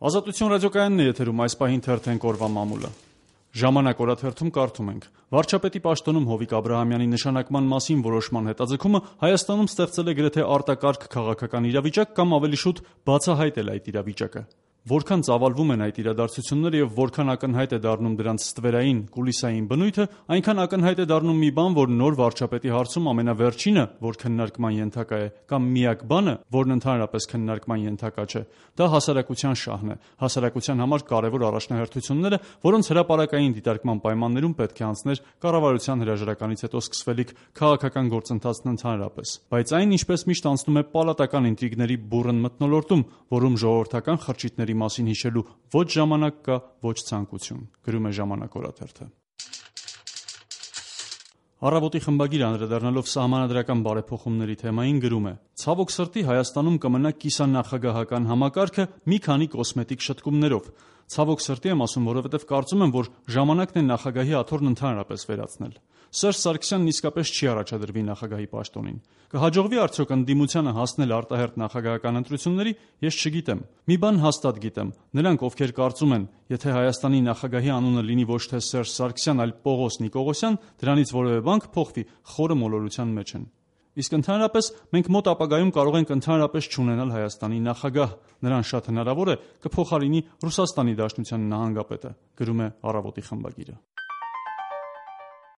Ազատություն ռադիոկայանն է եթերում, այս պահին թերթենք օրվա մամուլը։ Ժամանակ օրաթերթում կարդում ենք. Վարչապետի պաշտոնում Հովիկ Աբրահամյանի նշանակման մասին որոշման հետաձգումը Հայաստանում ստեղծել է գրեթե արտակարգ քաղաքական իրավիճակ կամ ավելի շուտ բացահայտել այդ իրավիճակը։ Որքան ծավալվում են այդ իրադարձությունները եւ որքան ակնհայտ է դառնում դրանց ստվերային, կուլիսային բնույթը, այնքան ակնհայտ է դառնում մի բան, որ նոր վարչապետի հարցում ամենավերջինը, որ քննարկման ենթակա է, կամ միակ բանը, որն ընդհանրապես քննարկման ենթակա չէ, դա հասարակության շահն է, հասարակության համար կարևոր առաջնահերթությունները, որոնց հրապարակային դիտարկման պայմաններում պետք է անցներ կառավարության հրաժարականից հետո սկսվելիք քաղաքական գործընթացն ընդհանրապես։ Բայց այն, ինչպես միշտ, անցնում է պալատական ինտրիգների բուռն մթնոլորտում, որում ժողովրդական խրճիթների մասին հիշելու ոչ ժամանակ կա, ոչ ցանկություն, գրում է «Ժամանակ» օրաթերթը։ Առավոտի խմբագիրը անդրադառնալով սահմանադրական բարեփոխումների թեմային գրում է. «Ցավոք սրտի Հայաստանում կմնա կիսանախագահական համակարգը մի քանի կոսմետիկ շտկումներով։ Ցավոք սրտի եմ ասում, որովհետև կարծում եմ, որ ժամանակն է նախագահի աթոռն ընդհանրապես վերացնել։ Սերժ Սարգսյանն իսկապես չի առաջադրվի նախագահի պաշտոնին։ Կհաջողվի արդյոք ընդդիմությանը հասնել արտահերթ նախագահական ընտրությունների, ես չգիտեմ։ Մի բան հաստատ գիտեմ. նրանք, ովքեր կարծում են, եթե Հայաստանի նախագահի անունը լինի ոչ թե Սերժ Սարգսյան, այլ Պողոս Նիկողոսյան, դրանից որևէ բան կփոխվի, խորը մոլորության մեջ են։ Իսկ ընդհանրապես մենք մոտ ապագայում կարող ենք ընդհանրապես չունենալ Հայաստանի նախագահ, նրան շատ հնարավոր է կփոխարինի Ռուսաստանի Դաշնության նահանգապետը», գրում է «Առավոտի» խմբագիրը։